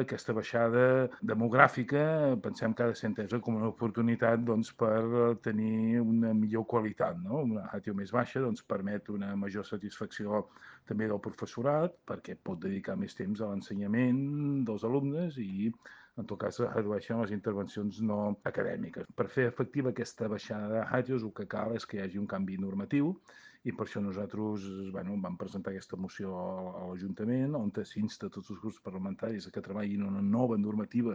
aquesta baixada demogràfica pensem que ha de ser entesa com una oportunitat per tenir una millor qualitat, no? Una ràtio més baixa permet una major satisfacció també del professorat, perquè pot dedicar més temps a l'ensenyament dels alumnes i, en tot cas, es redueixen les intervencions no acadèmiques. Per fer efectiva aquesta baixada de ràtios, el que cal és que hi hagi un canvi normatiu i per això nosaltres vam presentar aquesta moció a l'Ajuntament on s'insta tots els grups parlamentaris a que treballin una nova normativa